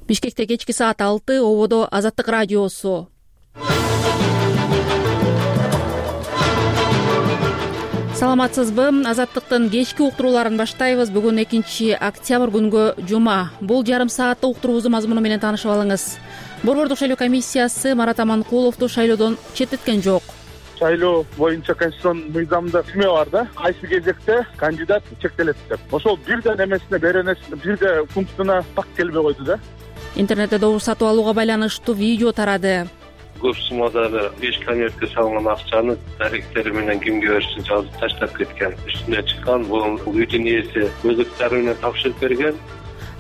Бишкекте кечки саат 6, ободо Азаттык радиосу. Саламатсызбы? Азаттыктын кечки уктурууларын баштайбыз. Бүгүн 2-октябрь күнгө жума. Бул жарым сааттык уктуруубуздун мазмуну менен таанышып алыңыз. Борбордук шайлоо комиссиясы Марат Аманкуловду шайлоодон четтеткен жок. Шайлоо боюнча конституцион мыйзамда түзмө бар да, кайсы кезекте кандидат чектелет деп. Ошол бирден эмесине бирде пунктуна так келбей койду да. Интернетте добуш сатып алууга байланыштуу видео тарады. Көп суммадагы 5 конвертке салынган акчаны даректери менен кимге беришин жазып таштап кеткен. Үстүнө чыккан бул үйдүн ээси өзүктөрү менен тапшырып берген.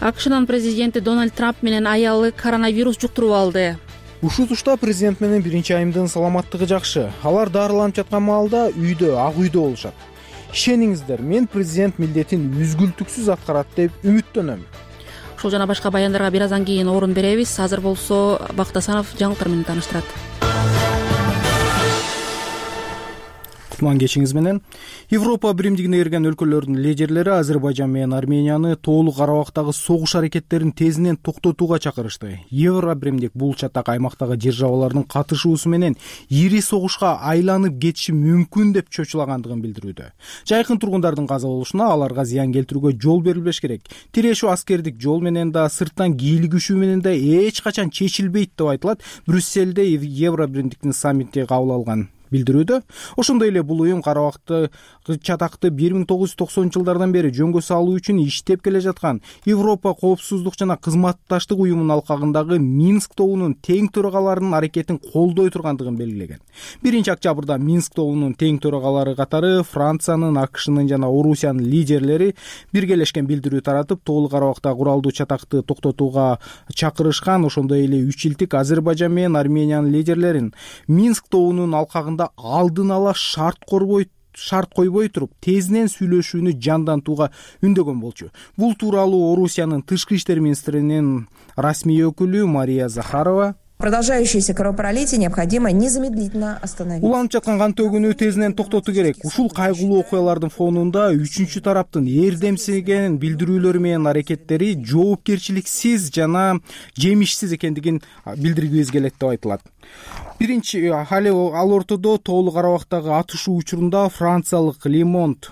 АКШнын президенти Дональд Трамп менен аялы коронавирус жуктуруп алды. Ушул тушта президент менен биринчи айымдын саламаттыгы жакшы. Алар дарыланып жаткан маалда үйдө, ак үйдө болушат. Ишениңиздер, мен президент милдетин үзгүлтүксүз аткарат деп үмүттөнөм. Ушул жана башка баяндарга бир аздан кийин орун беребиз. Азыр болсо Бактасанов жаңылыктар менен тааныштырат. Кутман кечиңиз менен. Европа биримдигине кирген өлкөлөрдүн лидерлери Азербайжан менен Арменияны тоолук Карабактагы согуш аракеттерин тезинен токтотууга чакырышты. Евро биримдик бул чатак аймактагы державалардын катышуусу менен ири согушка айланып кетиши мүмкүн деп чочулагандыгын билдирүүдө. Жайкын тургундардын каза болушуна, аларга зыян келтирүүгө жол берилбеш керек. Тирешүү аскердик жол менен да, сырттан кийлигишүү менен да эч качан чечилбейт деп айтылат. Брюссельде Евро биримдиктин саммити кабыл алган билдирүүдө. Ошондой эле бул уюм Карабакты чатакты 1990-жылдардан бери жөнгө салуу үчүн иштеп келе жаткан Европа коопсуздук жана кызматташтык уюмунун алкагындагы Минск тобунун тең төрагаларынын аракетин колдой тургандыгын белгилеген. 1-октябрда Минск тобунун тең төрагалары катары Франциянын, АКШнын жана Орусиянын лидерлери биргелешкен билдирүү таратып, тоолук Карабакта куралдуу чатакты токтотууга чакырышкан. Ошондой эле 3 илтик Азербайжан менен Армениянын лидерлерин Минск тобунун алкагында алдын ала шарт койбой туруп тезинен сүйлөшүүнү жандантууга үндөгөн болчу. Бул тууралуу Орусиянын тышкы иштер министринин расмий өкүлү Мария Захарова продолжающееся кровопролитие необходимо незамедлительно остановить. Уланып жаткан кан төгүүнү тезинен токтотуу керек. Ушул кайгылуу окуялардын фонунда үчүнчү тараптын эрдемсиген билдирүүлөрү менен аракеттери жоопкерчиликсиз жана жемишсиз экендигин билдиргибиз келет деп айтылат. Ал ортодо тоолук Карабактагы атышуу учурунда франциялык Le Monde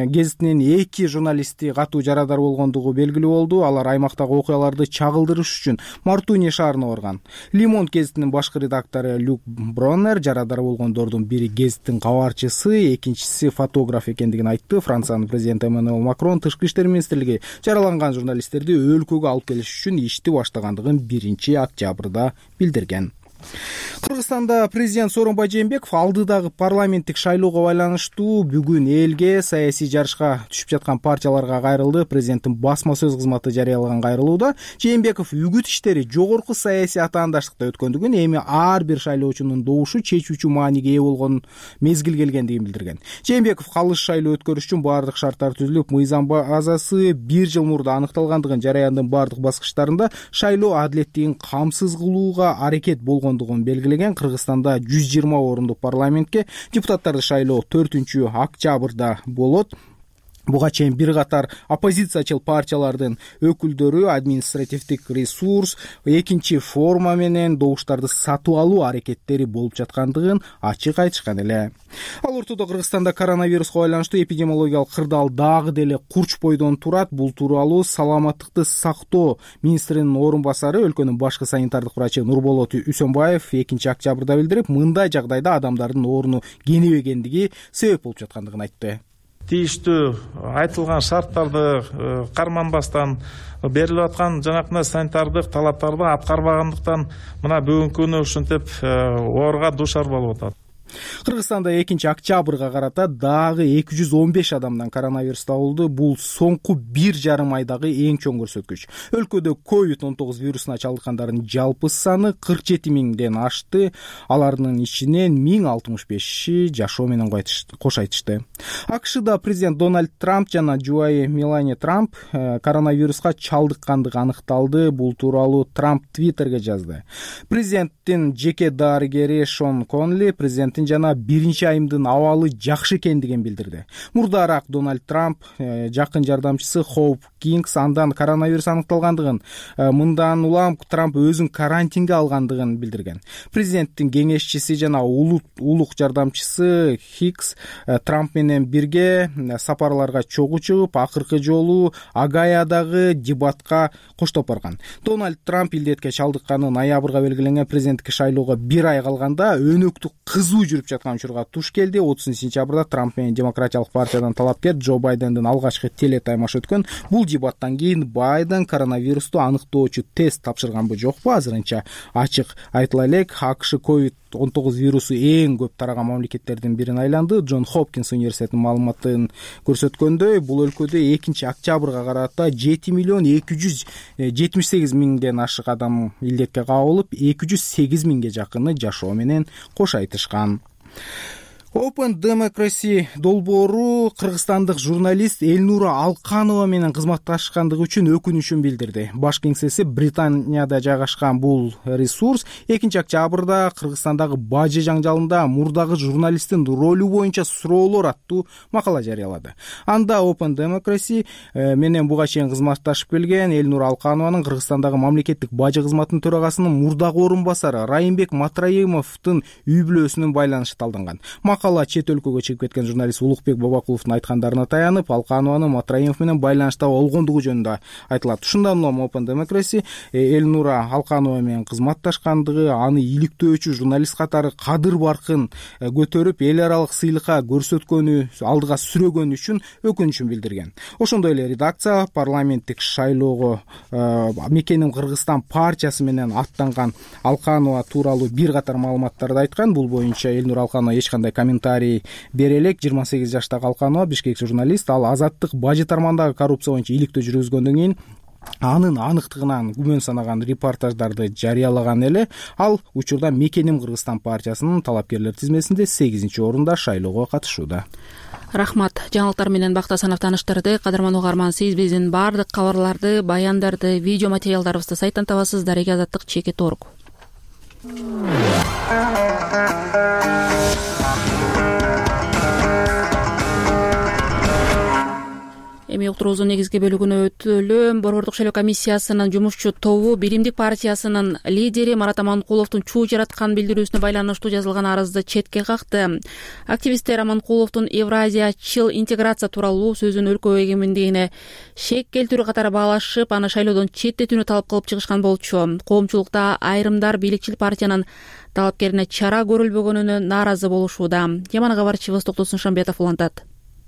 гезитинин 2 журналисти катуу жарадар болгондугу белгилүү болду. Алар аймактагы окуяларды чагылдырыш үчүн Мартуния шаарына барган. Le Monde гезитинин башкы редактору Люк Броннер жарадар болгондордун бири гезиттин кабарчысы, экинчиси фотограф экендигин айтты. Франциянын президенти Эммануэл Макрон тышкы иштер министрлиги жараланган журналисттерди өлкөгө алып келиш үчүн ишти баштагандыгын 1-октябрда билдирген. Кыргызстанда президент Сооронбай Жээнбеков алдыдагы парламенттик шайлоого байланыштуу бүгүн элге, саясий жарышка түшүп жаткан партияларга кайрылды. Президенттин басма сөз кызматы жарыялаган кайрылууда Жээнбеков үгүт иштери жогорку саясий атаандаштыкта өткөндүгүн, эми ар бир шайлоочунун добушу чечүүчү мааниге ээ болгон мезгил келгендигин билдирген. Жээнбеков калыс шайлоо өткөрүш үчүн бардык шарттар түзүлүп, мыйзам базасы 1 жыл мурда аныкталгандыгын, жараяндын бардык баскычтарында шайлоо адилеттигин камсыз кылууга аракет болгондугун белгилеген. Кыргызстанда 120 орундук парламентке депутаттарды шайлоо 4-октябрда болот. Буга чейин бир катар оппозициячыл партиялардын өкүлдөрү административдик ресурс, экинчи форма менен добуштарды сатып алуу аракеттери болуп жаткандыгын ачык айтышкан эле. Ал ортодо Кыргызстанда коронавируска байланыштуу эпидемиологиялык кырдаал дагы деле курч бойдон турат. Бул тууралуу саламаттыкты сактоо министринин орун басары, өлкөнүн башкы санитардык врачы Нурболот Үсөнбаев 2-октябрда билдирип, мындай жагдайда адамдардын орну кенебегендиги себеп болуп жаткандыгын айтты. Тийиштүү айтылган шарттарды карманбастан берилип аткан жанакындай санитардык талаптарды аткарбагандыктан мына бүгүнкү күнү ушинтип ооруга дуушар болуп атат. Кыргызстанда 2-октябрга карата дагы 215 адамдан коронавирус табылды. Бул соңку 1,5 айдагы эң чоң көрсөткүч. Өлкөдө COVID-19 вирусуна чалдыккандардын жалпы саны 47 миңден ашты. Алардын ичинен 1065 жашоо менен кош айтышты. АКШда президент Дональд Трамп жана жубайы Мелания Трамп коронавируска чалдыккандыгы аныкталды. Бул тууралуу Трамп Твиттерге жазды. Президенттин жеке дарыгери Шон Конли президенттин жана биринчи айымдын абалы жакшы экендигин билдирди. Мурдараак Дональд Трамп жакын жардамчысы Хоуп Кингс андан коронавирус аныкталгандыгын, мындан улам Трамп өзүн карантинге алгандыгын билдирген. Президенттин кеңешчиси жана улук жардамчысы Хикс Трамп менен бирге сапарларга чогуу чыгып, акыркы жолу Огайодогу дебатка коштоп барган. Дональд Трамп илдетке чалдыкканы ноябрга белгиленген президенттик шайлоого 1 ай калганда өнөктүк кызуу жүрүп жаткан учурга туш келди. 30-сентябрда Трамп менен Демократиялык партиядан талапкер Джо Байдендин алгачкы телетаймаш өткөн. Бул дебаттан кийин Байден коронавирусту аныктоочу тест тапшырганбы жокпу азырынча ачык айтыла элек. АКШ COVID-19 вирусу эң көп тараган мамлекеттердин бирине айланды. Джон Хопкинс университетинин маалыматын көрсөткөндөй, бул өлкөдө 2-октябрга карата 7,278,000ден ашык адам илдетке кабылып, 208,000ге жакыны жашоо менен кош айтышкан. Open Democracy долбоору кыргызстандык журналист Элнура Алканова менен кызматташкандыгы үчүн өкүнүчүн билдирди. Баш кеңсеси Британияда жайгашкан бул ресурс 2-октябрда Кыргызстандагы бажы жаңжалында мурдагы журналисттин ролу боюнча суроолор аттуу макала жарыялады. Анда Open Democracy менен буга чейин кызматташып келген Элнура Алканованын Кыргызстандагы мамлекеттик бажы кызматынын төрагасынын мурдагы орун басары Райымбек Матраимовдун үй бүлөсүнүн байланышы талданган. Макала чет өлкөгө чыгып кеткен журналист Улукбек Бабакуловдун айткандарына таянып, Алканованын Матраимов менен байланышта болгондугу жөнүндө айтылат. Ушундан улам Open Democracy Элнура Алканова менен кызматташкандыгы, аны иликтөөчү журналист катары кадыр баркын көтөрүп, эл аралык сыйлыкка көрсөткөнү, алдыга сүрөгөнү үчүн өкүнүчүн билдирген. Ошондой эле редакция парламенттик шайлоого Мекеним Кыргызстан партиясы менен аттанган Алканова тууралуу бир катар маалыматтарды айткан. Бул боюнча Элнура Алканова эч кандай комментарий бере элек. 28 жаштагы Алканова бишкек журналист. Ал Азаттык бажы тармагындагы коррупция боюнча иликтөө жүргүзгөндөн кийин анын аныктыгынан күмөн санаган репортаждарды жарыялаган эле. Ал учурда Мекеним Кыргызстан партиясынын талапкерлер тизмесинде 8-орунда шайлоого катышууда. Рахмат. Жаңылыктар менен Бакта Санов таныштырды. Кадырман угарман, сиз биздин баардык кабарларды, баяндарды, видео материалдарыбызды сайттан табасыз. @azаттык.org. Эми уктуруубуздун негизги бөлүгүнө өтөлү. Борбордук шайлоо комиссиясынын жумушчу тобу Биримдик партиясынын лидери Марат Аманкуловдун чуу жараткан билдирүүсүнө байланыштуу жазылган арызды четке какты. Активисттер Аманкуловдун Евразиячыл интеграция тууралуу сөзүн өлкө эгемендигине шек келтирүү катары баалашып, аны шайлоодон четтетүүнү талап кылып чыгышкан болчу. Коомчулукта айрымдар бийликчил партиянын талапкерине чара көрүлбөгөнүнө нааразы болушууда. Теманы кабарчыбыз Токтосун Шамбетов улантат.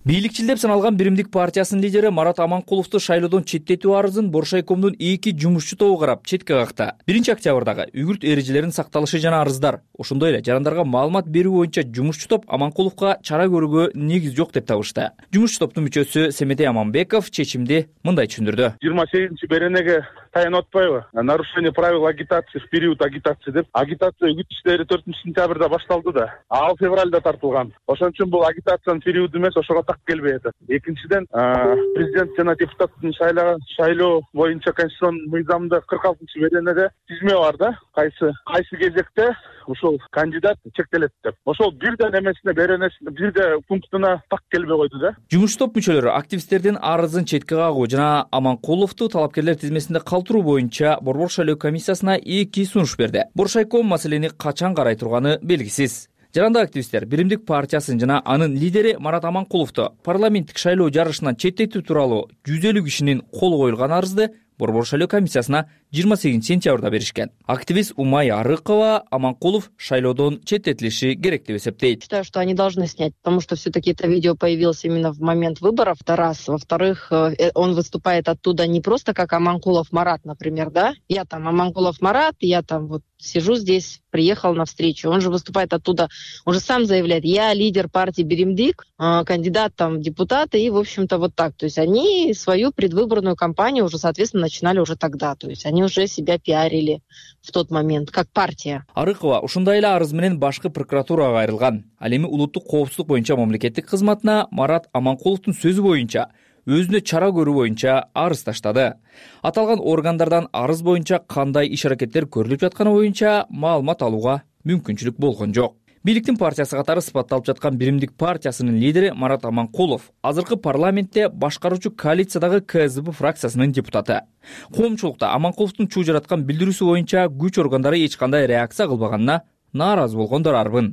Бийликчил деп саналган Биримдик партиясынын лидери Марат Аманкуловду шайлоодон четтетүү арызын Боршайкомдун 2 жумушчу тобу карап четке какты. 1-октябрдагы үгүт эрежелеринин сакталышы жана арыздар, ошондой эле жарандарга маалымат берүү боюнча жумушчу топ Аманкуловго чара көрүүгө негиз жок деп табышты. Жумушчу топтун мүчөсү Семетей Аманбеков чечимди мындай түшүндүрдү. 28-беренеге таянып атпайбы? Нарушение правил агитации в период агитации деп. Агитация үгүт иштери 4-сентябрда башталды да. Ал февралда тартылган. Ошон үчүн бул агитациянын периоду эмес, ошого келбей атат. Экинчиден, президент жана депутаттын шайлоо боюнча конституциянын мыйзамында 46-беренеде тизме бар да. Кайсы кезекте ушул кандидат чектелет деп. Ошол бирден эмесине беренесине, бирде пунктуна так келбей койду да. Жумуш топ мүчөлөрү активисттердин арызын четке кагуу жана Аманкуловду талапкерлер тизмесинде калтыруу боюнча Борбор шайлоо комиссиясына 2 сунуш берди. Боршайком маселени качан карай турганы белгисиз. Жаранда активисттер Биримдик партиясын жана анын лидери Марат Аманкуловду парламенттик шайлоо жарышынан четтетүү тууралуу 150 кишинин колу коюлган арызды Борбор шайлоо комиссиясына 28-сентябрда беришкен. Активист Умай Арыкова Аманкулов шайлоодон четтетилиши керек деп эсептейт. Считаю, что они должны снять, потому что все-таки это видео появилось именно в момент выборов. Это раз. Во-вторых, он выступает оттуда не просто как Аманкулов Марат, например, да? Я там Аманкулов Марат, я там вот сижу здесь, приехал на встречу. Он же выступает оттуда, он же сам заявляет, я лидер партии Биримдик, кандидат там в депутаты, и, в общем-то, вот так. То есть они свою предвыборную кампанию уже, соответственно, начинали уже тогда. То есть они уже себя пиарили в тот момент, как партия. Арыкова ушундай эле арыз менен башкы прокуратурага кайрылган. Ал эми улуттук коопсуздук боюнча мамлекеттик кызматына Марат Аманкуловдун сөзү боюнча өзүнө чара көрүү боюнча арыз таштады. Аталган органдардан арыз боюнча кандай иш-аракеттер көрүлүп жатканы боюнча маалымат алууга мүмкүнчүлүк болгон жок. Бийликтин партиясы катары сыпатталып жаткан Биримдик партиясынын лидери Марат Аманкулов азыркы парламентте башкаруучу коалициядагы КСДП фракциясынын депутаты. Коомчулукта Аманкуловдун чуу жараткан билдирүүсү боюнча күч органдары эч кандай реакция кылбаганына нааразы болгондор арбын.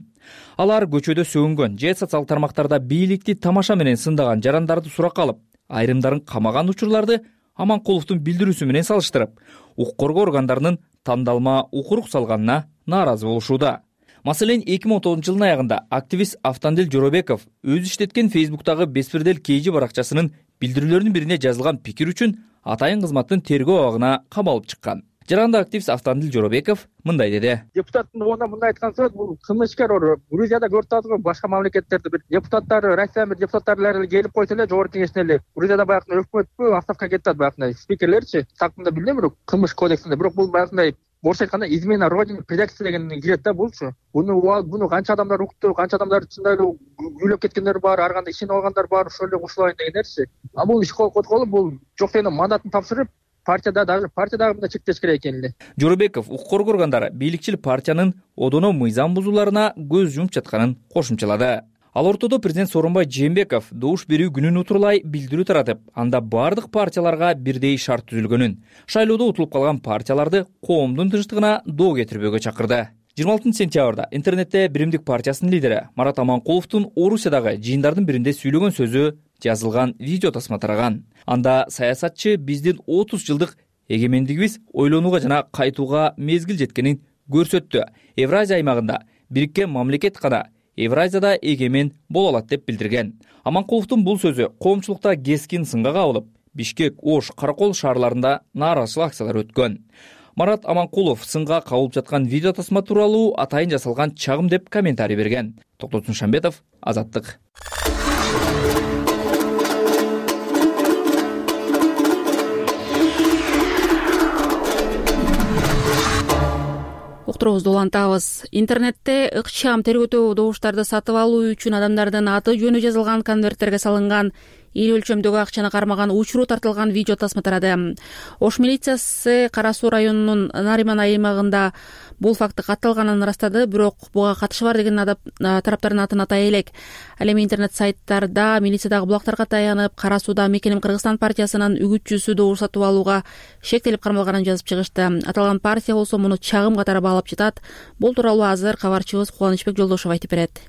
Алар көчөдө сөгүнгөн же социалдык тармактарда бийликти тамаша менен сындаган жарандарды суракка алып, айрымдарын камаган учурларды Аманкуловдун билдирүүсү менен салыштырып, укук коргоо органдарынын тандалма укурук салганына нааразы болушууда. Маселен, 2019 жылдын аягында активист Автандил Жоробеков өзү иштеткен Facebook'тагы Беспирдел KG баракчасынын билдирүүлөрүнүн бирине жазылган пикир үчүн атайын кызматтын тергөө абагына камалып чыккан. Жаранда активист Автандил Жоробеков мындай деди. Депутаттын оона мындай айткан сөз, бул кылмышкер Грузияда көрүп атабызбы, башка мамлекеттерде бир депутаттар, Россиянын бир депутаттары келип койсо эле жогорку кеңештен эле Грузияда баягы өкмөтпү отставкага кетип атат баягы спикерлерчи. Тактында билбейм, бирок кылмыш кодексинде, бирок бул баягы орусча айтканда измена родине предательство деген кирет да булчу. Буну канча адамдар укту, канча адамдар чындай эле үйлөп кеткендер бар, ар кандай ишинип алгандар бар, ошол эле кошулайын дегендерчи. А бул иш котколуп, бул жок дегенде мандатын тапшырып, партияда мындай чектеш керек экен эле. Жоробеков укук коргоо органдары бийликчил партиянын одоно мыйзам бузууларына көз жумуп жатканын кошумчалады. Ал ортодо президент Сооронбай Жээнбеков добуш берүү күнүн утурлай билдирүү таратып, анда бардык партияларга бирдей шарт түзүлгөнүн, шайлоодо утулуп калган партияларды коомдун тынчтыгына доо кетирбөөгө чакырды. 26 сентябрда интернетте Биримдик партиясынын лидери Марат Аманкуловдун Орусиядагы жыйындардын биринде сүйлөгөн сөзү жазылган видео тасма тараган. Анда саясатчы биздин 30 жылдык эгемендигибиз ойлонууга жана кайтууга мезгил жеткенин көрсөттү. Евразия аймагында бириккен мамлекет гана Евразияда эгемен боло алат деп билдирген. Аманкуловдун бул сөзү коомчулукта кескин сынга кабылып, Бишкек, Ош, Каракол шаарларында нааразычылык акциялар өткөн. Марат Аманкулов сынга кабылып жаткан видео тасма тууралуу атайын жасалган чагым деп комментарий берген. Токтотун Шамбетов, Азаттык. Уктуруубузду улантабыз. Интернетте ыкчам тергөтүү добуштарды сатып алуу үчүн адамдардын аты жөнү жазылган конверттерге салынган ири өлчөмдөгү акчаны кармаган учуру тартылган видео тасма тарады. Ош милициясы Кара Суу районунун Нариман аймагында бул факты катталганын ырастады, бирок буга катышы бар деген тараптардын атын атай элек. Ал эми интернет сайттарда милициядагы булактарга таянып, Кара Сууда Мекеним Кыргызстан партиясынын үгүтчүсү добуш сатып алууга шектелип кармалганын жазып чыгышты. Аталган партия болсо муну чагым катары баалап жатат. Бул тууралуу азыр кабарчыбыз Кубанычбек Жолдошов айтып берет.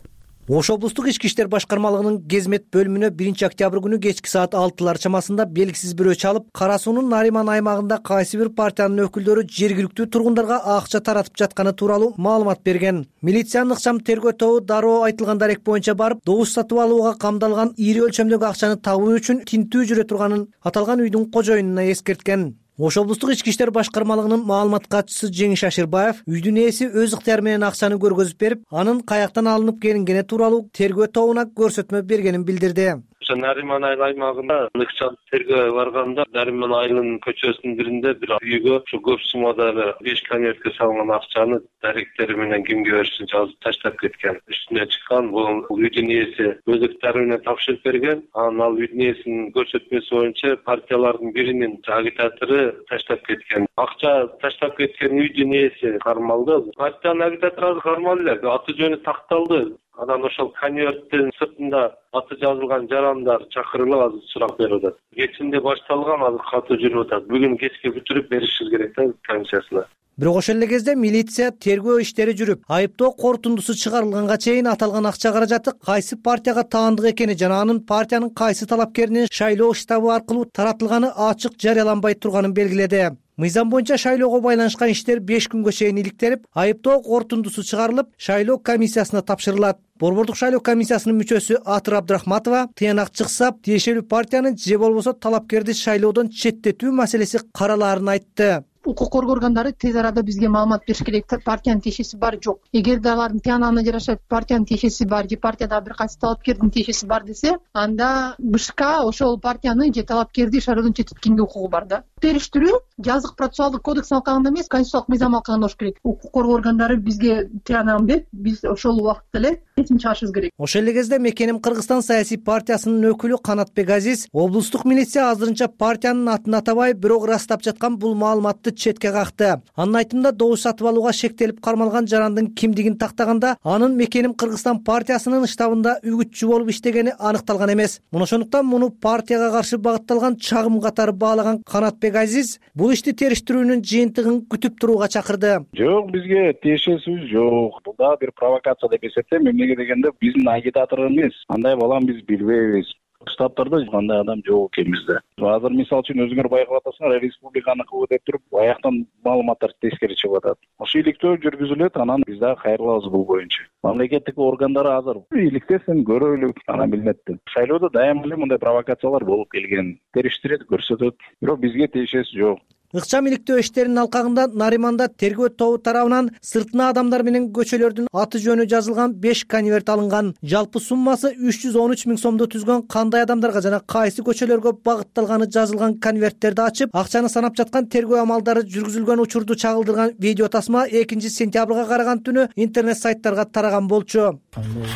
Ош облустук ички иштер башкармалыгынын Кезмет бөлүмүнө 1 октябрь күнү кечки саат 6 чамасында белгисиз бирөө чалып, Кара Суунун Нариман аймагында кайсы бир партиянын өкүлдөрү жергиликтүү тургундарга акча таратып жатканы тууралуу маалымат берген. Милициянын ыкчам тергөө тобу дароо айтылган дарек боюнча барып, добуш сатып алууга камдалган ири өлчөмдөгү акчаны табуу үчүн тинтүү жүрө турганын аталган үйдүн кожоюнуна эскерткен. Ош облустук ички иштер башкармалыгынын маалымат катчысы Жеңиш Аширбаев үйдүн ээси өз ыктыяры менен акчаны көргөзүп берип, анын каяктан алынып келингени тууралуу тергөө тобуна көрсөтмө бергенин билдирди. Нариман айыл аймагында ыкчам тергөө барганда Нариман айылынын көчөсүнүн биринде бир үйгө ушу көп суммадагы 5 конвертке салынган акчаны даректери менен кимге беришин жазып таштап кеткен. Үстүнө чыккан бул үйдүн ээси өз ыктыяры менен тапшырып берген. Анан ал үйдүн ээсинин көрсөтмөсү боюнча партиялардын биринин агитатору таштап кеткен. Акча таштап кеткен үйдүн ээси кармалды. Партиянын агитатору кармалды эле, аты жөнү такталды. Анан ошол конверттин сыртында аты жазылган жарандар чакырылып азыр сурак берип атат. Кечинде башталган, азыр катуу жүрүп атат. Бүгүн кечке бүтүрүп беришибиз керек да комиссиясына. Бирок ошол эле кезде милиция тергөө иштери жүрүп, айыптоо корутундусу чыгарылганга чейин аталган акча каражаты кайсы партияга таандык экени жана анын партиянын кайсы талапкеринин шайлоо штабы аркылуу таратылганы ачык жарыяланбай турганын белгиледи. Мыйзам боюнча шайлоого байланышкан иштер 5 күнгө чейин иликтелип, айыптоо корутундусу чыгарылып, шайлоо комиссиясына тапшырылат. Борбордук шайлоо комиссиясынын мүчөсү Атыр Абдрахматова тыянак чыкса, тиешелүү партиянын же болбосо талапкерди шайлоодон четтетүү маселеси каралаарын айтты. Укук коргоо органдары тез арада бизге маалымат бериш керек. Партиянын тиешеси бар, жок. Эгерде алардын тыянагына жараша партиянын тиешеси бар же партияда бир кайсы талапкердин тиешеси бар десе, анда БШК ошол партияны же талапкерди шайлоодон четтеткенге укугу бар да. Териштирүү жазык процессуалдык кодекс алкагында эмес, конституциялык мыйзам алкагында болуш керек. Укук коргоо органдары бизге тыянагын берип, биз ошол убакытта эле чечим чыгарышыбыз керек. Ошол эле кезде Мекеним Кыргызстан саясий партиясынын өкүлү Канатбек Азиз облустук милиция азырынча партиянын атын атабай, бирок ырастап жаткан бул маалыматты четке какты. Анын айтымында добуш сатып алууга шектелип кармалган жарандын кимдигин тактаганда анын Мекеним Кыргызстан партиясынын штабында үгүтчү болуп иштегени аныкталган эмес. Ошондуктан муну партияга каршы багытталган чагым катары баалаган Канатбек Азиз бул ишти териштирүүнүн жыйынтыгын күтүп турууга чакырды. Жок, бизге тиешеси жок. Бул да бир провокация деп эсептейм. Эмнеге дегенде биздин агитатор эмес. Андай балам биз билбейбиз. Штабтарда кандай адам жок экен бизде. Азыр мисалы үчүн өзүңөр байкап атасыңар, республиканыкы деп туруп, аяктан маалыматтар тескери чыгып атат. Ошо иликтөө жүргүзүлөт, анан биз дагы кайрылабыз бул боюнча. Мамлекеттик органдар азыр иликтесин, көрөлүк, анан билинет. Шайлоодо дайыма эле мындай провокациялар болуп келген. Териштирет, көрсөтөт, бирок бизге тиешеси жок. Ыкчам иликтөө иштеринин алкагында Нариманда тергөө тобу тарабынан сыртына адамдар менен көчөлөрдүн аты жөнү жазылган 5 конверт алынган. Жалпы суммасы 313 000 сомду түзгөн кандай адамдарга жана кайсы көчөлөргө багытталганы жазылган конверттерди ачып, акчаны санап жаткан тергөө амалдары жүргүзүлгөн учурду чагылдырган видео тасма 2-сентябрга караган түнү интернет сайттарга тараган болчу.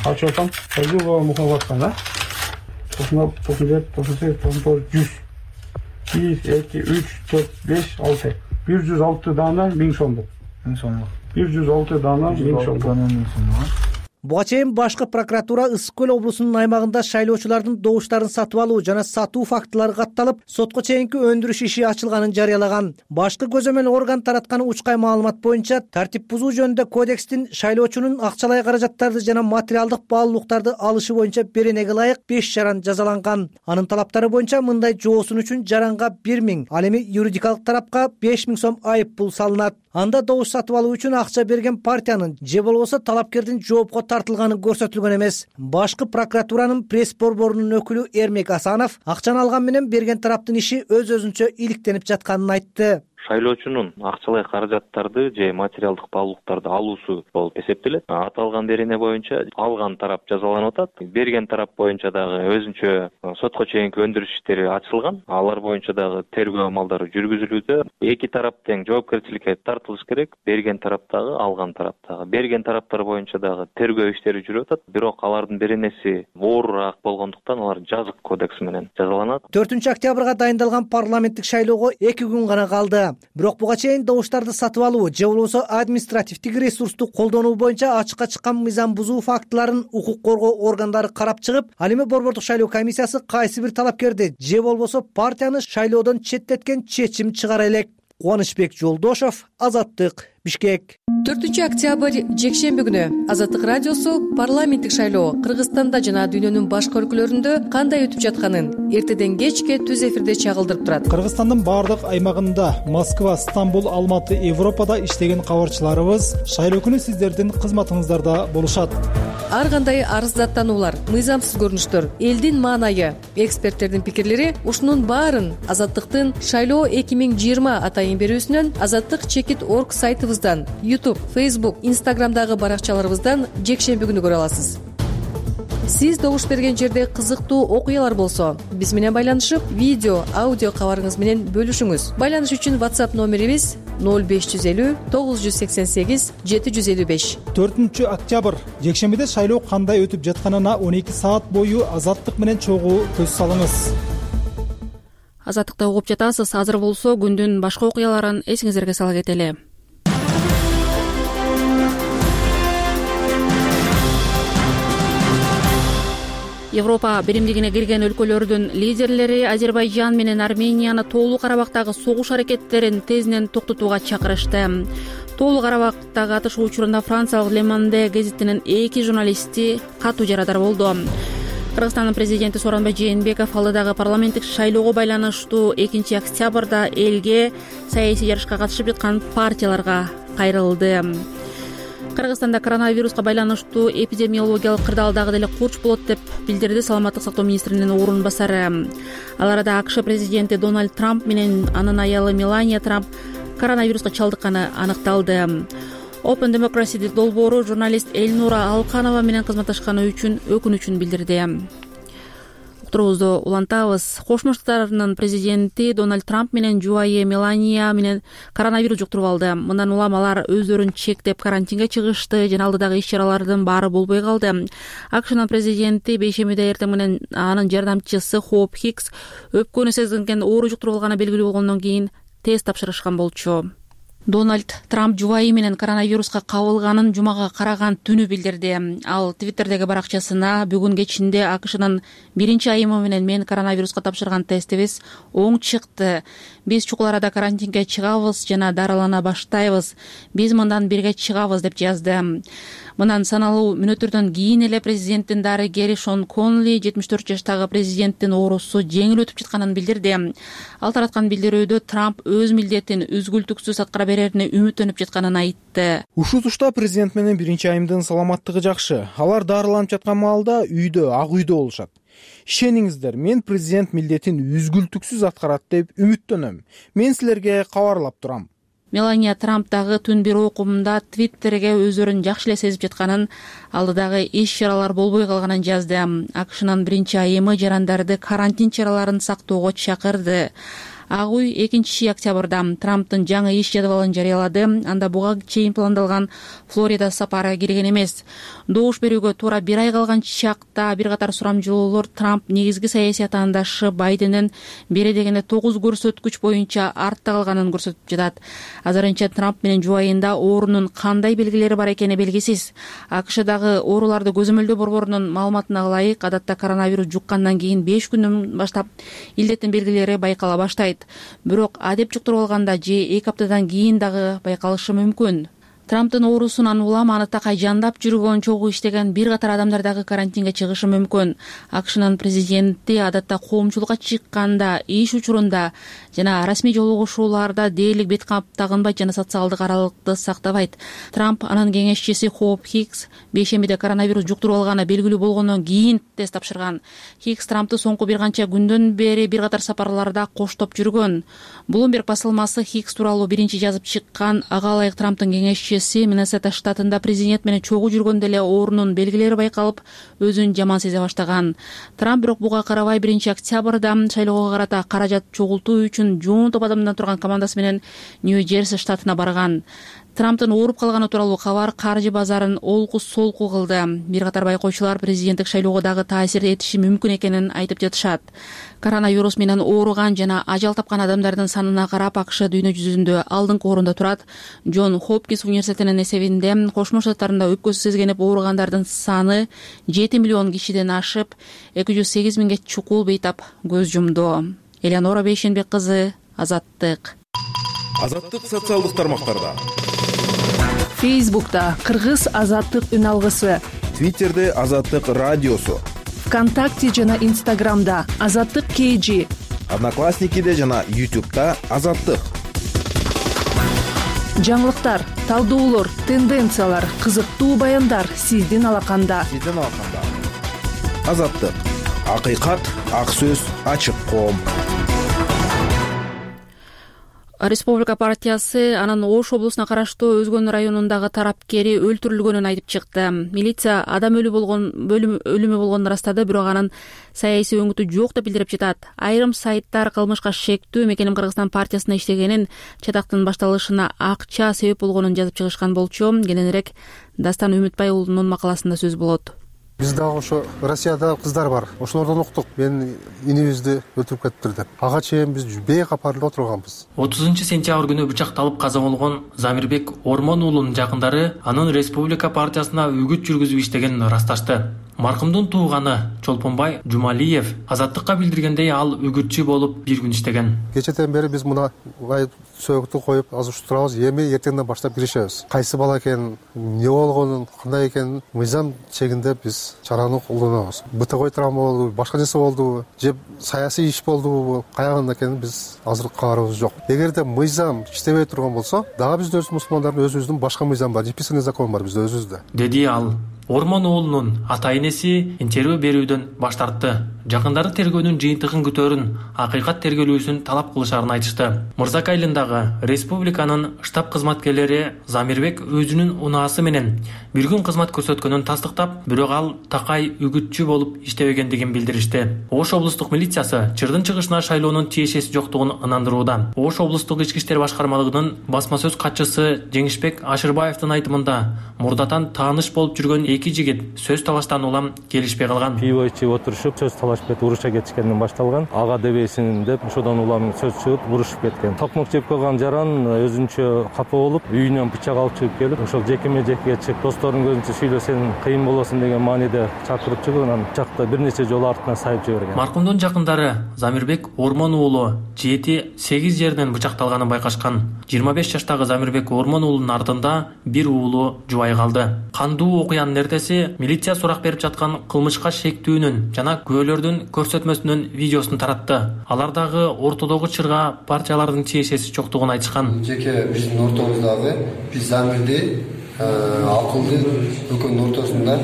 Ачып атам, өзү мухаббаттан, да? 1, 2, 3, 4, 5, 6. 106 дана 1000 сомдук. 1000 сомдук. 106 дана 1000 сомдук. Буга чейин башкы прокуратура Ысык Көл облусунун аймагында шайлоочулардын добуштарын сатып алуу жана сатуу фактылары катталып, сотко чейинки өндүрүш иши ачылганын жарыялаган. Башкы көзөмөл орган тараткан учкай маалымат боюнча тартип бузуу жөнүндө кодекстин шайлоочунун акчалай каражаттарды жана материалдык баалуулуктарды алышы боюнча беренеге ылайык 5 жаран жазаланган. Анын талаптары боюнча мындай жоосун үчүн жаранга 1000, ал эми юридикалык тарапка 5000 сом айып пул салынат. Анда добуш сатып алуу үчүн акча берген партиянын же болбосо талапкердин жоопко тартылганы көрсөтүлгөн эмес. Башкы прокуратуранын пресс борборунун өкүлү Эрмек Асанов акчаны алган менен берген тараптын иши өз-өзүнчө иликтенип жатканын айтты. Шайлоочунун акчалай каражаттарды же материалдык баалуулуктарды алуусу болуп эсептелет. Аталган берене боюнча алган тарап жазаланып атат. Берген тарап боюнча дагы өзүнчө сотко чейинки өндүрүш иштери ачылган. Алар боюнча дагы тергөө амалдары жүргүзүлүүдө. Эки тарап тең жоопкерчиликке тартылыш керек. Берген тарап дагы, алган тарап дагы. Берген тараптар боюнча дагы тергөө иштери жүрүп атат. Бирок алардын беренеси оорураак болгондуктан алар жазык кодекс менен жазаланат. 4-октябрга дайындалган парламенттик шайлоого 2 күн гана калды. Бирок буга чейин добуштарды сатып алуу же болбосо административдик ресурсту колдонуу боюнча ачыкка чыккан мыйзам бузуу фактыларын укук коргоо органдары карап чыгып, ал эми борбордук шайлоо комиссиясы кайсы бир талапкерди же болбосо партияны шайлоодон четтеткен чечим чыгара элек. Кубанычбек Жолдошов, Азаттык, Бишкек. 4-октябрь жекшемби күнү Азаттык радиосу парламенттик шайлоо Кыргызстанда жана дүйнөнүн башка өлкөлөрүндө кандай өтүп жатканын эртеден кечке түз эфирде чагылдырып турат. Кыргызстандын баардык аймагында Москва, Стамбул, Алматы, Европада иштеген кабарчыларыбыз шайлоо күнү сиздердин кызматыңыздарда болушат. Ар кандай арыздаттануулар, мыйзамсыз көрүнүштөр, элдин маанайы, эксперттердин пикирлери ушунун баарын Азаттыктын шайлоо 2020 атайын берүүсүнөн azattik.org сайтыбыздан, YouTube, Facebook, Instagramдагы баракчаларыбыздан жекшемби күнү көрө аласыз. Сиз добуш берген жерде кызыктуу окуялар болсо, биз менен байланышып, видео, аудио кабарыңыз менен бөлүшүңүз. Байланыш үчүн WhatsApp номерибиз 0550 988 755. 4-октябрь жекшембиде шайлоо кандай өтүп жатканына 12 саат бою Азаттык менен чогуу көз салыңыз. Азаттыкта угуп жатасыз. Азыр болсо күндүн башка окуяларын эсиңиздерге сала кетели. Европа биримдигине кирген өлкөлөрдүн лидерлери Азербайжан менен Арменияны Тоолуу Карабактагы согуш аракеттерин тезинен токтотууга чакырышты. Тоолуу Карабактагы атышуу учурунда Франциялык Le Monde гезитинин 2 журналисти катуу жарадар болду. Кыргызстандын президенти Сооронбай Жээнбеков алдыдагы парламенттик шайлоого байланыштуу 2 октябрда элге саясий жарышка катышып жаткан партияларга кайрылды. Кыргызстанда коронавируска байланыштуу эпидемиологиялык кырдаал дагы деле курч болот деп билдирди саламаттык сактоо министринин орун басары. Ал арада АКШ президенти Дональд Трамп менен анын аялы Мелания Трамп коронавируска чалдыкканы аныкталды. Open Democracy долбоору журналист Эльнура Алканова менен кызматташканы үчүн өкүнүчүн билдирди. уктуруубузду улантабыз. Кошмо Штаттардын президенти Дональд Трамп менен жубайы Мелания менен коронавирус жуктуруп алды. Мындан улам алар өздөрүн чектеп карантинге чыгышты жана алдыдагы иш-чаралардын баары болбой калды. АКШнын президенти бейшембиде эртең менен анын жардамчысы Хоуп Хикс өпкөнү сезинген оору жуктуруп алганы белгилүү болгондон кийин тест тапшырышкан болчу. Дональд Трамп жубайы менен коронавируска кабылганын жумага караган түнү билдирди. Ал Твиттердеги баракчасына бүгүн кечинде АКШнын биринчи айымы менен мен коронавируска тапшырган тестибиз оң чыкты. Биз чукул арада карантинге чыгабыз жана дарылана баштайбыз. Биз мындан бирге чыгабыз деп жазды. Мындан саналуу мүнөттөрдөн кийин эле президенттин дарыгери Шон Конли 74 жаштагы президенттин оорусу жеңил өтүп жатканын билдирди. Ал тараткан билдирүүдө Трамп өз милдетин үзгүлтүксүз аткара берерине үмүттөнүп жатканын айтты. Ушул тушта президент менен биринчи айымдын саламаттыгы жакшы. Алар дарыланып жаткан маалда үйдө, Ак үйдө болушат. Ишениңиздер, мен президент милдетин үзгүлтүксүз аткарат деп үмүттөнөм. Мен силерге кабарлап турам. Мелания Трамп дагы түн бир окумунда Твиттерге өздөрүн жакшы эле сезип жатканын, алдыдагы иш-чаралар болбой калганын жазды. АКШнын биринчи айымы жарандарды карантин чараларын сактоого чакырды. Ак үй 2 октябрда Трамптын жаңы иш жадыбалын жарыялады. Анда буга чейин пландалган Флорида сапары кирген эмес. Добуш берүүгө туура 1 ай калган чакта бир катар сурамжылоолор Трамп негизги саясий атаандашы Байденден бери дегенде 9 көрсөткүч боюнча артта калганын көрсөтүп жатат. Азырынча Трамп менен жубайында оорунун кандай белгилери бар экени белгисиз. АКШдагы ооруларды көзөмөлдөө борборунун маалыматына ылайык, адатта коронавирус жуккандан кийин 5 күндөн баштап илдеттин белгилери байкала баштайт. Бирок адеп жуктуруп алганда же 2 аптадан кийин дагы байкалышы мүмкүн. Трамптын оорусунан улам аны такай жандап жүргөн, чогуу иштеген бир катар адамдар дагы карантинге чыгышы мүмкүн. АКШнын президенти адатта коомчулукка чыкканда, иш учурунда жана расмий жолугушууларда дээрлик бет кап тагынбайт жана социалдык аралыкты сактабайт. Трамп анын кеңешчиси Хоуп Хикс бейшембиде коронавирус жуктуруп алганы белгилүү болгондон кийин тест тапшырган. Хикс Трампты соңку бир канча күндөн бери бир катар сапарларда коштоп жүргөн. Bloomberg басылмасы Хикс тууралуу биринчи жазып чыккан. Ага ылайык Трамптын кеңешчиси Миннесота штатында президент менен чогуу жүргөндө эле оорунун белгилери байкалып, өзүн жаман сезе баштаган. Трамп бирок буга карабай 1 октябрда шайлоого карата каражат чогултуу үчүн жоон топ адамдан турган командасы менен Нью-Джерси штатына барган. Трамптын ооруп калганы тууралуу кабар каржы базарын олку-солку кылды. Бир катар байкоочулар президенттик шайлоого дагы таасир этиши мүмкүн экенин айтып жатышат. Коронавирус менен ооруган жана ажал тапкан адамдардын санына карап АКШ дүйнө жүзүндө алдыңкы орунда турат. Джон Хопкинс университетинин эсебинде Кошмо Штаттарында өпкөсү сезгенип ооругандардын саны 7 миллион кишиден ашып, 208 миңге чукул бейтап көз жумду. Элеонора Бейшенбек кызы, Азаттык. Азаттык социалдык тармактарда. Фейсбукта Кыргыз Азаттык үн алгысы, Твиттерде Азаттык радиосу, ВКонтакте жана Инстаграмда Азаттык KG, Одноклассникиде жана YouTube'да Азаттык. Жаңылыктар, талдоолор, тенденциялар, кызыктуу баяндар сиздин алаканда. Азаттык. Акыйкат, ак сөз, ачык коом. Республика партиясы анын Ош облусуна караштуу Өзгөн районундагы тарапкери өлтүрүлгөнүн айтып чыкты. Милиция адам өлүмү болгонун ырастады, бирок анын саясий өңүтү жок деп билдирип жатат. Айрым сайттар кылмышка шектүү Мекеним Кыргызстан партиясына иштегенин, чатактын башталышына акча себеп болгонун жазып чыгышкан болчу. Кененирээк Дастан Үмүтбай уулунун макаласында сөз болот. Биз дагы ошо Россияда кыздар бар. Ошолордон уктук. Мен инибизди өлтүрүп кетиптир деп. Ага чейин биз бейкап арылып отурганбыз. 30-сентябрь күнү бычакталып каза болгон Замирбек Ормон уулунун жакындары анын Республика партиясына үгүт жүргүзүп иштегенин ырасташты. Маркумдун тууганы Чолпонбай Жумалиев Азаттыкка билдиргендей, ал үгүтчү болуп бир күн иштеген. Кечеден бери биз мына сөөгүттү коюп азыр турабыз. Эми эртеңден баштап киришебиз. Кайсы бала экенин, эмне болгонун, кандай экенин мыйзам чегинде биз чараны колдонобуз. Бытовой травма болду, башка нерсе болду, же саясий иш болду, каягында экенин биз азыр кабарыбыз жок. Эгерде мыйзам иштебей турган болсо, дагы биздин мусулмандардын өзүбүздүн башка мыйзам бар, неписанный закон бар бизде өзүбүздө. Деди ал. Ормон уулунун ата энеси интервью берүүдөн баш тартты. жакындары тергөөнүн жыйынтыгын күтөөрүн, акыйкат тергелүүсүн талап кылышарын айтышты. Мырзак айылындагы республиканын штаб кызматкерлери Замирбек өзүнүн унаасы менен бир күн кызмат көрсөткөнүн тастыктап, бирок ал такай үгүтчү болуп иштебегендигин билдиришти. Ош облустук милициясы чырдын чыгышына шайлоонун тиешеси жоктугун ынандырууда. Ош облустук ички иштер башкармалыгынын басма сөз катчысы Жеңишбек Ашырбаевдин айтымында, мурдатан тааныш болуп жүргөн эки жигит сөз талаштан улам келишпей калган. Пиво ичип отурушуп, сөз талашып уруша кетишкенден башталган. Ага дебейсиң деп, ошодон улам сөз чыгып, урушуп кеткен. Токмок жеп койгон жаран өзүнчө капа болуп, үйүнөн бычак алып чыгып келип, ошол жекеме-жекеге чыгып, достордун көзүнчө сүйлөсөң кыйын болосуң деген мааниде чакырып чыгып, анан бычакты бир нече жолу артынан сайып жиберген. Маркумдун жакындары Замирбек Ормон уулу 7-8 жерден бычакталганын байкашкан. 25 жаштагы Замирбек Ормон уулунун артында бир уулу жубай калды. Кандуу окуянын эртеси милиция сурак берип жаткан кылмышка шектүүнүн жана күбөлөрдүн көрсөтмөсүнүн видеосун таратты. Алардагы ортодогу чырга партиялардын тиешеси жоктугун айтышкан. Жеке биздин ортобуздагы биз Замирди акылды өлкөнүн ортосунда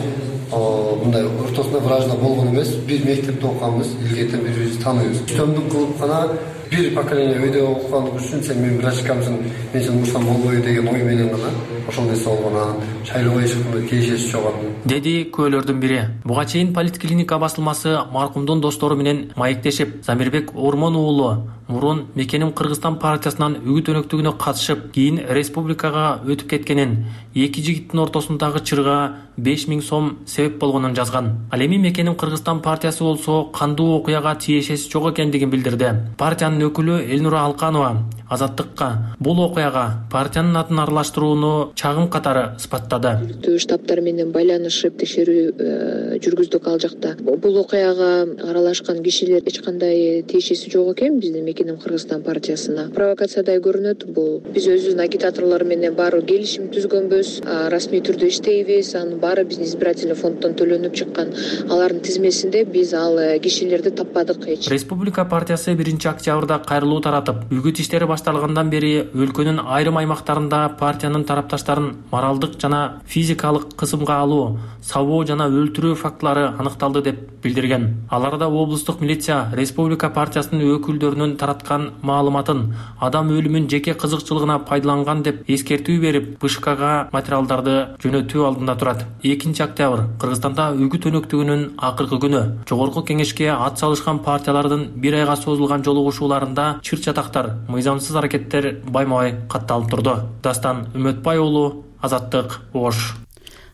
мындай ортосунда вражда болгон эмес. Бир мектепте окуганбыз, илгертен бири-бирибизди тааныйбыз. Төмдүк кылып гана бир поколение өйдө окугандык үчүн сен менин врачкамсың, мен сени урсам болбойбу деген ой менен гана ошол нерсе болгон. Шайлоого чыкканда тиешеси жок деди күбөлөрдүн бири. Буга чейин Политклиника басылмасы маркумдун достору менен маектешип, Замирбек Ормон уулу мурун Мекеним Кыргызстан партиясынан үгүт өнөктүгүнө катышып, кийин республикага өтүп кеткенин, эки жигиттин ортосундагы чырга 5000 сом себеп болгонун жазган. Ал эми Мекеним Кыргызстан партиясы болсо кандуу окуяга тиешеси жок экендигин билдирди. Партиянын өкүлү Элнура Алканова Азаттыкка бул окуяга партиянын атын аралаштырууну чагым катары сыпаттады. Штабтар менен байланышып текшерүү жүргүздүк ал жакта. Бул окуяга аралашкан кишилер эч кандай тиешеси жок экен биздин Мекеним Кыргызстан партиясына. Провокациядай көрүнөт бул. Биз өзүбүздүн агитаторлор менен баары келишим түзгөнбүз, расмий түрдө иштейбиз, анын баары биздин избирательный фонддон төлөнүп чыккан. Алардын тизмесинде биз ал кишилерди таппадык. Республика партиясы 1-октябрда кайрылуу таратып, үгүт иштери башталгандан бери өлкөнүн айрым аймактарында партиянын тарапташтарын моралдык жана физикалык кысымга алуу, сабоо жана өлтүрүү фактылары аныкталды деп билдирген. Аларда облустук милиция Республика партиясынын өкүлдөрүнүн тараткан маалыматын адам өлүмүн жеке кызыкчылыгына пайдаланган деп эскертүү берип, БШКга материалдарды жөнөтүү алдында турат. 2-октябрь Кыргызстанда үгүт өнөктүгүнүн акыркы күнү. Жогорку кеңешке ат салышкан партиялардын бир айга созулган жолугушууларында чыр-чатактар, мыйзамсыз аракеттер байма-бай катталып турду. Дастан Үмөтбай уулу, Азаттык, Ош.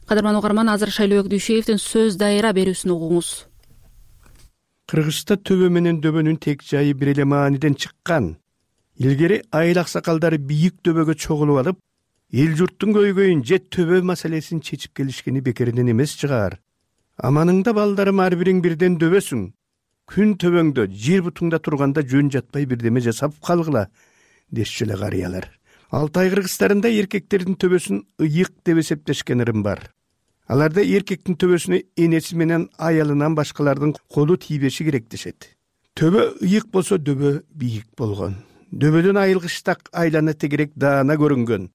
Кадырман угарман, азыр Шайлообек Дүйшеевдин сөз дайыра берүүсүн угуңуз. Кыргызста төбө менен дөбөнүн тек жайы бир эле мааниден чыккан. Илгери айыл аксакалдары бийик төбөгө чогулуп алып, эл журттун көйгөйүн же төбө маселесин чечип келишкени бекеринен эмес чыгар. Аманыңда балдарым ар бириң бирден дөбөсүң. Күн төбөңдө, жер бутуңда турганда жөн жатпай бирдеме жасап калгыла, дешчү эле карыялар. Алтай кыргыздарында эркектердин төбөсүн ыйык деп эсептешкен ырым бар. Аларда эркектин төбөсүнө энеси менен аялынан башкалардын колу тийбеши керек дешет. Төбө ыйык болсо дөбө бийик болгон. Дөбөдөн айылгыштак айлана тегерек даана көрүнгөн.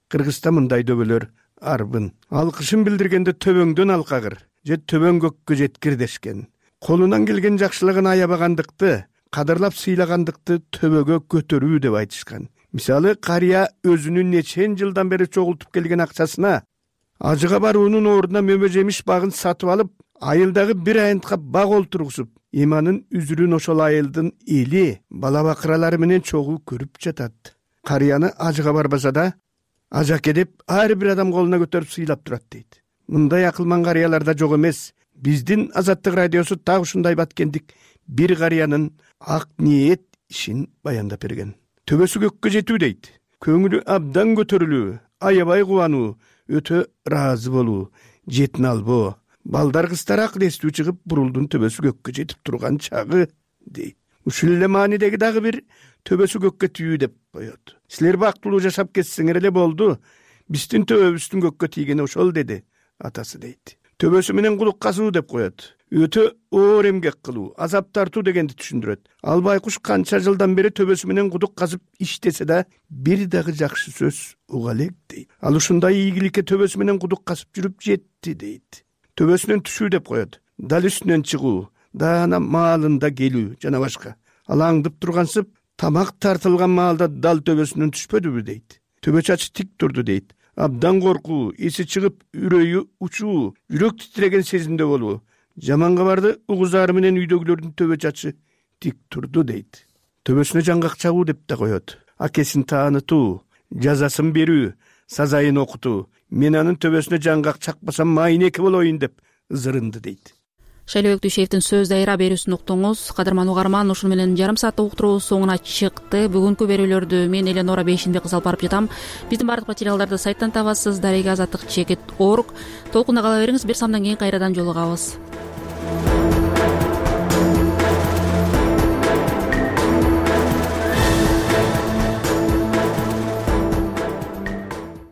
Кыргызда мындай дөбөлөр арбын. Алкышын билдиргенде төбөңдөн алкагыр же төбөң көккө жеткир дешкен. Колунан келген жакшылыгын аябагандыкты, кадырлап сыйлагандыкты төбөгө көтөрүү деп айтышкан. Мисалы, карыя өзүнүн нечен жылдан бери чогултуп келген акчасына ажыга баруунун ордуна мөмө жемиш багын сатып алып, айылдагы бир айынтка баг олтургузуп, иманын үзүрүн ошол айылдын эли, бала бакыралары менен чогуу көрүп жатат. Карыяны ажыга барбаса да, ажаке деп ар бир адам колуна көтөрүп сыйлап турат дейт. Мындай акылман карыяларда жок эмес. Биздин Азаттык радиосу так ушундай баткендик бир карыянын ак ниет ишин баяндап берген. Төбөсү көккө жетүү дейт. Көңүлү абдан көтөрүлүү, аябай кубануу, өтө ыраазы болуу, жетин албоо. Балдар кыздар акыл эстүү чыгып, бурулдун төбөсү көккө жетип турган чагы дейт. Ушул эле маанидеги дагы бир төбөсү көккө тийүү деп коет. Силер бактылуу жашап кетсеңер эле болду. Биздин төбөбүздүн көккө тийгени ошол деди атасы дейт. Төбөсү менен кулук казуу деп коет. Өтө оор эмгек кылуу, азап тартуу дегенди түшүндүрөт. Ал байкуш канча жылдан бери төбөсү менен кудук казып иштесе да, бир дагы жакшы сөз уга элек дейт. Ал ушундай ийгиликке төбөсү менен кудук казып жүрүп жетти дейт. Төбөсүнөн түшүү деп коет. Дал үстүнөн чыгуу, даана маалында келүү жана башка. Ал аңдып тургансып тамак тартылган маалда дал төбөсүнөн түшпөдүбү дейт. Төбө чачы тик турду дейт. Абдан коркуу, эси чыгып, үрөйү учуу, жүрөк титиреген сезимде болуу. Жаман кабарды угузары менен үйдөгүлөрдүн төбө чачы тик турду дейт. Төбөсүнө жаңгак чабуу деп да коет. Акесин таанытуу, жазасын берүү, сазайын окутуу. Мен анын төбөсүнө жаңгак чакпасам майнеки болоюн деп ызырынды дейт. Шайлообек Дүйшеевдин сөз дайыра берүүсүн уктуңуз. Кадырман угарман, ушуну менен жарым сааттык уктуруу соңуна чыкты. Бүгүнкү берүүлөрдү мен Эленора Бейшенбек кыз алып барып жатам. Биздин бардык материалдарды сайттан табасыз. Дарега азаттык чекит.org. Толкунда кала бериңиз. Бир самдан кийин кайрадан жолугабыз.